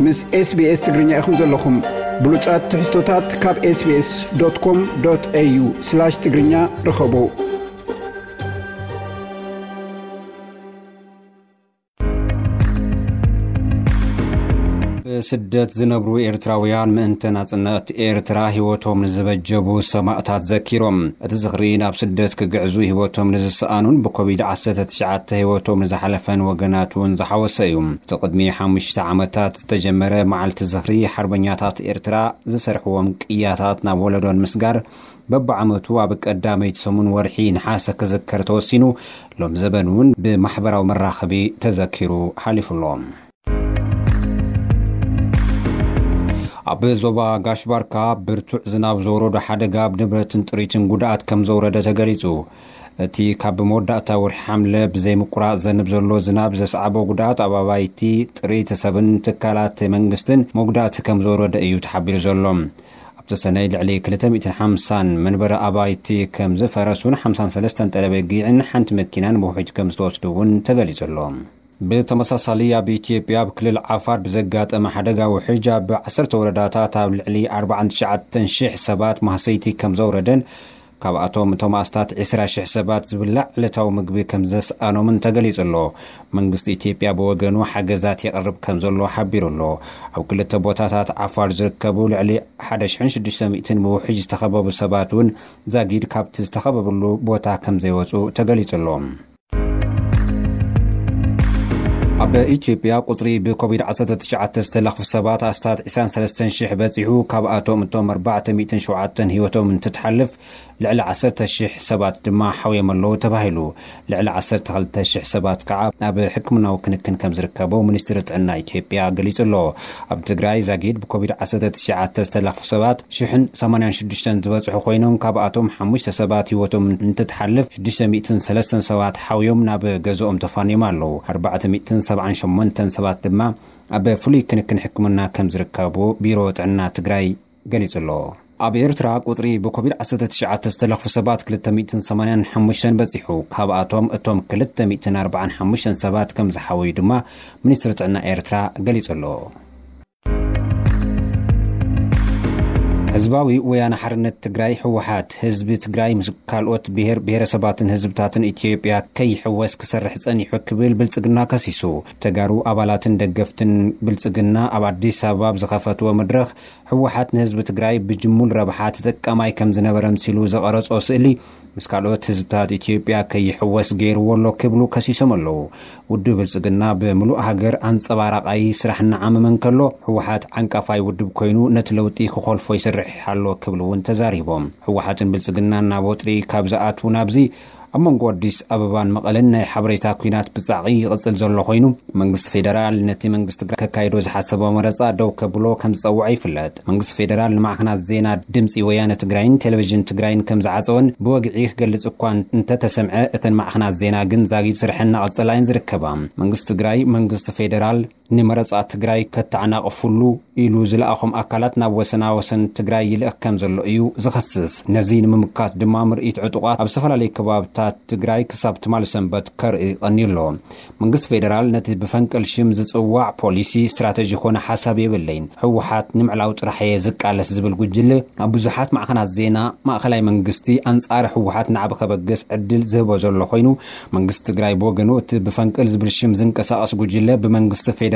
ምስ SBS ትግርኛ ኢኹም ዘለኹም። ብሉጻት ትሕዝቶታት ካብ SBS.com.au/ትግርኛ ርኸቡ። ብስደት ዝነብሩ ኤርትራውያን ምእንተ ናጽነት ኤርትራ ህይወቶም ንዝበጀቡ ሰማእታት ዘኪሮም። እቲ ዝኽሪ ናብ ስደት ክግዕዙ ህይወቶም ንዝሰኣኑን ብኮቪድ ዓሰርተ ትሽዓተ ህይወቶም ንዝሓለፈን ወገናት እውን ዝሓወሰ እዩ። እቲ ቅድሚ ሓሙሽተ ዓመታት ዝተጀመረ መዓልቲ ዝኽሪ ሓርበኛታት ኤርትራ ዝሰርሕዎም ቅያታት ናብ ወለዶ ንምስጋር በብዓመቱ ኣብ ቀዳመይቲ ሰሙን ወርሒ ነሓሰ ክዝከር ተወሲኑ፣ ሎም ዘበን እውን ብማሕበራዊ መራኸቢ ተዘኪሩ ሓሊፉ ኣሎ። ኣብ ዞባ ጋሽ ባርካ ብርቱዕ ዝናብ ዘውረዶ ሓደጋ ኣብ ንብረትን ጥሪትን ጉድኣት ከም ዘውረደ ተገሊጹ። እቲ ካብ መወዳእታ ወርሒ ሓምለ ብዘይምቁራጽ ዘንብ ዘሎ ዝናብ ዘስዓቦ ጉድኣት ኣብ ኣባይቲ፣ ጥሪት ሰብን ትካላት መንግስትን መጉዳእቲ ከም ዘውረደ እዩ ተሓቢሩ ዘሎ። ኣብቲ ሰነይ ልዕሊ ክልተ ሚእትን ሓምሳን መንበሪ ኣባይቲ ከም ዝፈረሱን ሓምሳን ሰለስተን ጠለበጊዕን ሓንቲ መኪናን ብውሕጅ ከም ዝተወስዱ እውን ተገሊጹ ኣሎ። ብተመሳሳሊ ኣብ ኢትዮጵያ ኣብ ክልል ዓፋር ብዘጋጠመ ሓደጋ ውሕጅ ኣብ ዓሰርተ ወረዳታት ኣብ ልዕሊ ኣርባዓን ትሽዓተን ሽሕ ሰባት ማህሰይቲ ከም ዘውረደን ካብኣቶም እቶም ኣስታት ዕስራ ሽሕ ሰባት ዝብላዕ ዕለታዊ ምግቢ ከም ዘስኣኖምን ተገሊጹ ኣሎ። መንግስቲ ኢትዮጵያ ብወገኑ ሓገዛት የቕርብ ከም ዘሎ ሓቢሩ ኣሎ። ኣብ ክልተ ቦታታት ዓፋር ዝርከቡ ልዕሊ ሓደ ሽሕን ሽዱሽተ ሚእትን ብውሕጅ ዝተኸበቡ ሰባት እውን ዛጊድ ካብቲ ዝተኸበብሉ ቦታ ከም ዘይወጹ ተገሊጹ ኣሎ። ኣብ ኢትዮጵያ ቁጽሪ ብኮቪድ ዓሰርተ ትሽዓተ ዝተለኽፉ ሰባት ኣስታት ዕስራን ሰለስተን ሽሕ በጺሑ፣ ካብኣቶም እቶም ኣርባዕተ ሚእትን ሸውዓተን ህይወቶም እንትትሓልፍ፣ ልዕሊ ዓሰርተ ሽሕ ሰባት ድማ ሓውዮም ኣለዉ ተባሂሉ። ልዕሊ ዓሰርተ ክልተ ሽሕ ሰባት ከዓ ኣብ ሕክምናዊ ክንክን ከም ዝርከቡ ሚኒስትሪ ጥዕና ኢትዮጵያ ገሊጹ ኣሎ። ኣብ ትግራይ ዛጊድ ብኮቪድ ዓሰርተ ትሽዓተ ዝተለኽፉ ሰባት ሽሕን ሰማንያን ሽዱሽተን ዝበጽሑ ኮይኖም፣ ካብኣቶም ሓሙሽተ ሰባት ህይወቶም እንትትሓልፍ፣ ሽዱሽተ ሚእትን ሰለስተን ሰባት ሓውዮም ናብ ገዝኦም ተፋንዮም ኣለዉ። ኣርባዕተ ሚእትን ሰብዓን ሸሞንተን ሰባት ድማ ኣብ ፍሉይ ክንክን ሕክምና ከም ዝርከቡ ቢሮ ጥዕና ትግራይ ገሊጹ ኣሎ። ኣብ ኤርትራ ቁጽሪ ብኮቪድ ዓሰርተ ትሽዓተ ዝተለኽፉ ሰባት ክልተ ሚእትን ሰማንያን ሓሙሽተን በጺሑ። ካብኣቶም እቶም ክልተ ሚእትን ኣርባዓን ሓሙሽተን ሰባት ከም ዝሓወዩ ድማ ሚኒስትሪ ጥዕና ኤርትራ ገሊጹ ኣሎ። ህዝባዊ ወያነ ሓርነት ትግራይ፣ ህወሓት፣ ህዝቢ ትግራይ ምስ ካልኦት ብሔር ብሔረሰባትን ህዝብታትን ኢትዮጵያ ከይሕወስ ክሰርሕ ጸኒሑ ክብል ብልጽግና ከሲሱ። ተጋሩ ኣባላትን ደገፍትን ብልጽግና ኣብ ኣዲስ ኣበባ ኣብ ዝኸፈትዎ መድረኽ፣ ህወሓት ንህዝቢ ትግራይ ብጅሙል ረብሓ ተጠቃማይ ከም ዝነበረ ምሲሉ ዘቐረጾ ስእሊ ምስ ካልኦት ህዝብታት ኢትዮጵያ ከይሕወስ ገይርዎ ኣሎ ክብሉ ከሲሶም ኣለዉ። ውድብ ብልጽግና ብምሉእ ሃገር ኣንጸባራቓይ ስራሕ እናዓመመ እንከሎ፣ ህወሓት ዓንቃፋይ ውድብ ኮይኑ ነቲ ለውጢ ክኾልፎ ይሰርሕ ኣሎ ክብሉ እውን ተዛሪቦም። ህወሓትን ብልጽግናን ናብ ወጥሪ ካብ ዝኣትዉ ናብዚ፣ ኣብ መንጎ ኣዲስ ኣበባን መቐለን ናይ ሓበሬታ ኲናት ብጻዕቒ ይቕጽል ዘሎ ኮይኑ፣ መንግስቲ ፌደራል ነቲ መንግስቲ ትግራይ ከካይዶ ዝሓሰቦ መረጻ ደው ከብሎ ከም ዝጸውዐ ይፍለጥ። መንግስቲ ፌደራል ንማዕኸናት ዜና ድምጺ ወያነ ትግራይን ቴሌቪዥን ትግራይን ከም ዝዓጸወን ብወግዒ ክገልጽ እኳ እንተተሰምዐ፣ እተን ማዕኸናት ዜና ግን ዛጊድ ስርሐን እናቐጸላ እየን ዝርከባ። መንግስቲ ትግራይ፣ መንግስቲ ፌደራል ንመረጻ ትግራይ ከተዓናቕፉሉ ኢሉ ዝለኣኾም ኣካላት ናብ ወሰና ወሰን ትግራይ ይልእኽ ከም ዘሎ እዩ ዝኸስስ። ነዚ ንምምካት ድማ ምርኢት ዕጡቓት ኣብ ዝተፈላለዩ ከባብታት ትግራይ ክሳብ ትማሊ ሰንበት ከርኢ ቀንዩ ኣሎ። መንግስቲ ፌደራል ነቲ ብፈንቅል ሽም ዝጽዋዕ ፖሊሲ፣ ስትራተጂ ኮነ ሓሳብ የብለይን፣ ህወሓት ንምዕላው ጥራሕ እየ ዝቃለስ ዝብል ጉጅለ ኣብ ብዙሓት ማዕኸናት ዜና ማእኸላይ መንግስቲ ኣንጻር ህወሓት ናዕቢ ከበግስ ዕድል ዝህቦ ዘሎ ኮይኑ፣ መንግስቲ ትግራይ ብወገኑ እቲ ብፈንቅል ዝብል ሽም ዝንቀሳቐስ ጉጅለ ብመንግስቲ ፌደራልን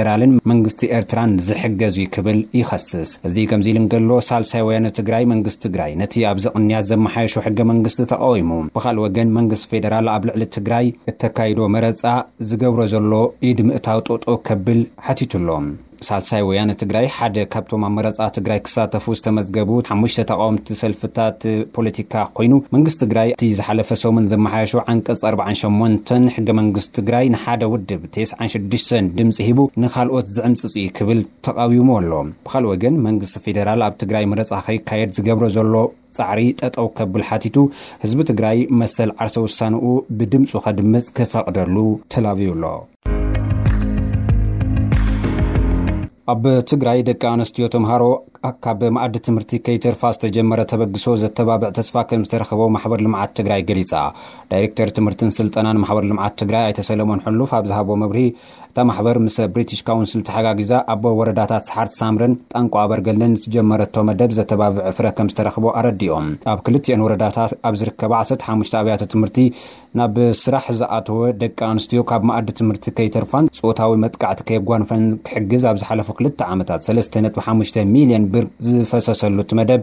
መንግስቲ ኤርትራን ዝሕገዝ እዩ ክብል ይኸስስ። እዚ ከምዚ ኢሉ እንከሎ፣ ሳልሳይ ወያነ ትግራይ መንግስቲ ትግራይ ነቲ ኣብዚ ቅንያት ዘመሓየሾ ሕገ መንግስቲ ተቃዊሙ። ብኻልእ ወገን መንግስቲ ፌደራል ኣብ ልዕሊ ትግራይ እተካይዶ መረጻ ዝገብሮ ዘሎ ኢድ ምእታው ጠጠው ከብል ሓቲቱ ኣሎ። ሳልሳይ ወያነ ትግራይ ሓደ ካብቶም ኣብ መረጻ ትግራይ ክሳተፉ ዝተመዝገቡ ሓሙሽተ ተቃወምቲ ሰልፍታት ፖለቲካ ኮይኑ፣ መንግስቲ ትግራይ እቲ ዝሓለፈ ሰሙን ዘመሓየሾ ዓንቀጽ ኣርባዓን ሸሞንተን ሕገ መንግስቲ ትግራይ ንሓደ ውድብ ተስዓን ሽዱሽተን ድምፂ ሂቡ ንኻልኦት ዝዕምፅፅ እዩ ክብል ተቃዊሙ ኣሎ። ብኻልእ ወገን መንግስቲ ፌደራል ኣብ ትግራይ መረፃ ከይካየድ ዝገብሮ ዘሎ ጻዕሪ ጠጠው ከብል ሓቲቱ፣ ህዝቢ ትግራይ መሰል ዓርሰ ውሳንኡ ብድምፁ ከድምፅ ክፈቕደሉ ተላብዩ ኣሎ። ኣብ ትግራይ ደቂ ኣንስትዮ ተምሃሮ ካብ መኣዲ ትምህርቲ ከይተርፋ ዝተጀመረ ተበግሶ ዘተባብዕ ተስፋ ከም ዝተረኸቦ ማሕበር ልምዓት ትግራይ ገሊጻ። ዳይሬክተር ትምህርትን ስልጠናን ማሕበር ልምዓት ትግራይ ኣይተ ሰለሞን ሕሉፍ ኣብ ዝሃቦ መብርሂ፣ እታ ማሕበር ምስ ብሪቲሽ ካውንስል ተሓጋጊዛ ኣብ ወረዳታት ሰሓርት ሳምረን ጣንቋ ኣበርገለን ዝተጀመረቶ መደብ ዘተባብዕ ፍረ ከም ዝተረኽቦ ኣረዲኦም። ኣብ ክልቲኤን ወረዳታት ኣብ ዝርከባ ዓሰርተ ሓሙሽተ ኣብያተ ትምህርቲ ናብ ስራሕ ዝኣተወ ደቂ ኣንስትዮ ካብ መኣዲ ትምህርቲ ከይተርፋን ጾታዊ መጥቃዕቲ ከየጓንፈን ክሕግዝ ኣብ ዝሓለፉ ክልተ ዓመታት ሰለስተ ነጥቢ ሓሙሽተ ሚልዮን ብር ዝፈሰሰሉ እቲ መደብ፣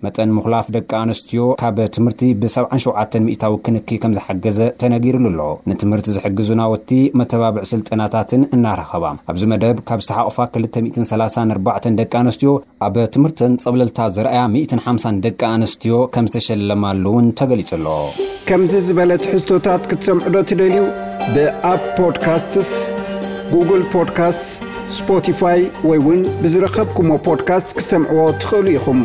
መጠን ምኹላፍ ደቂ ኣንስትዮ ካብ ትምህርቲ ብ ሰብዓን ሸውዓተን ሚእታዊ ክንኪ ከም ዝሓገዘ ተነጊርሉ ኣሎ። ንትምህርቲ ዝሕግዙ ናውቲ፣ መተባብዒ ስልጠናታትን እናረኸባ። ኣብዚ መደብ ካብ ዝተሓቑፋ ክልተ ሚእትን ሰላሳን ኣርባዕተን ደቂ ኣንስትዮ ኣብ ትምህርተን ጸብለልታ ዘርኣያ ሚእትን ሓምሳን ደቂ ኣንስትዮ ከም ዝተሸለማሉ እውን ተገሊጹ ኣሎ። ከምዚ ዝበለ ትሕዝቶታት ክትሰምዑ ዶ ትደልዩ? ብኣፕ ፖድካስትስ፣ ጉግል ፖድካስት፣ ስፖቲፋይ ወይ እውን ብዝረኸብኩሞ ፖድካስት ክትሰምዕዎ ትኽእሉ ኢኹም።